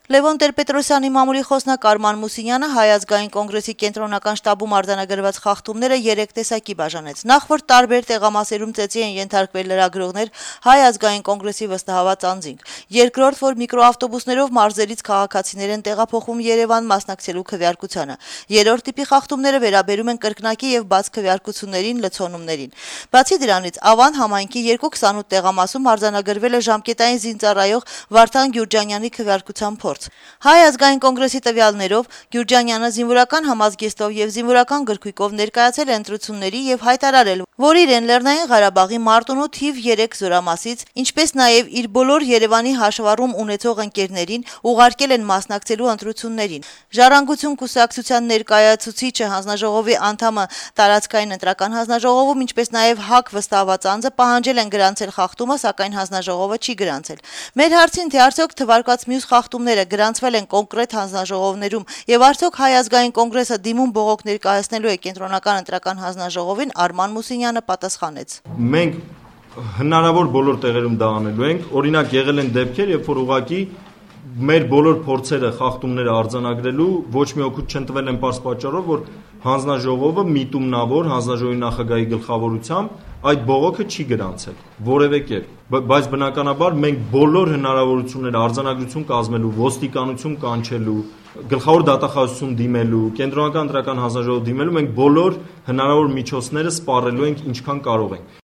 Լևոն Տեր-Պետրոսյանի մամուլի խոսնակ Արման Մուսինյանը Հայ ազգային կոնգրեսի կենտրոնական շտաբում արձանագրված խախտումները 3 տեսակի բաժանեց: Նախորդ տարբեր տեղամասերում ծեծի են ենթարկվել լրագրողներ, Հայ ազգային կոնգրեսի վստահված անձինք: Երկրորդ, որ միկրոավտոբուսներով մարզերից քաղաքացիներ են տեղափոխվում Երևան մասնակցելու քվեարկությանը: Երրորդ տիպի խախտումները վերաբերում են կրկնակի եւ բաց քվեարկություններին, լցոնումներին: Բացի դրանից, Ավան համայնքի 228 տեղամասում արձանագրվել է ժամկետային զինծառայող Վարդան Գյուրջանյանի քվեարկության փորձ: Հայ ազգային կոնգրեսի տվյալներով Գյուրջանյանը զինվորական համազգեստով եւ զինվորական գրքույկով ներկայացել է ընտրությունների եւ հայտարարել, որ իրեն Լեռնային Ղարաբաղի Մարտունու թիվ 3 զորամասից, ինչպես նաեւ իր բոլոր Երևանի հաշվառում ունեցող ընկերներին ուղարկել են մասնակցելու ընտրություններին: Ժառանգություն կուսակցության ներկայացուցիչը, հանձնաժողովի անդամը տարածքային ընտրական հանձնաժողովում, ինչպես նաեւ ՀԱԿ վստահված անձը պահանջել են գրանցել խախտումը, սակայն հանձնաժողովը չի գրանցել: Մեր հարցին, թե արդյոք թվարկված մյուս խախտումները գրանցվել են կոնկրետ հանձնաժողովներում եւ արդյոք Հայ ազգային կոնգրեսը դիմում բողոք ներկայացնելու է կենտրոնական ընտրական հանձնաժողովին, Արման Մուսինյանը պատասխանեց. Մենք հնարավոր բոլոր տեղերում դա անելու ենք, օրինակ եղել են դեպքեր, երբ որ ուղղակի մեր բոլոր փորձերը խախտումները արձանագրելու ոչ մի օգուտ չեն տվել այն պարզ պատճառով, որ հանձնաժողովը միտումնավոր հանձնաժողովի նախագահի գլխավորությամբ այդ բողոքը չի գրանցել որևէ կերպ, բայց բնականաբար մենք բոլոր հնարավորությունները արձանագրություն կազմելու, ոստիկանություն կանչելու, գլխավոր դատախազություն դիմելու, կենտրոնական ընտրական հանձնաժողով դիմելու, մենք բոլոր հնարավոր միջոցները սպառելու ենք ինչքան կարող ենք: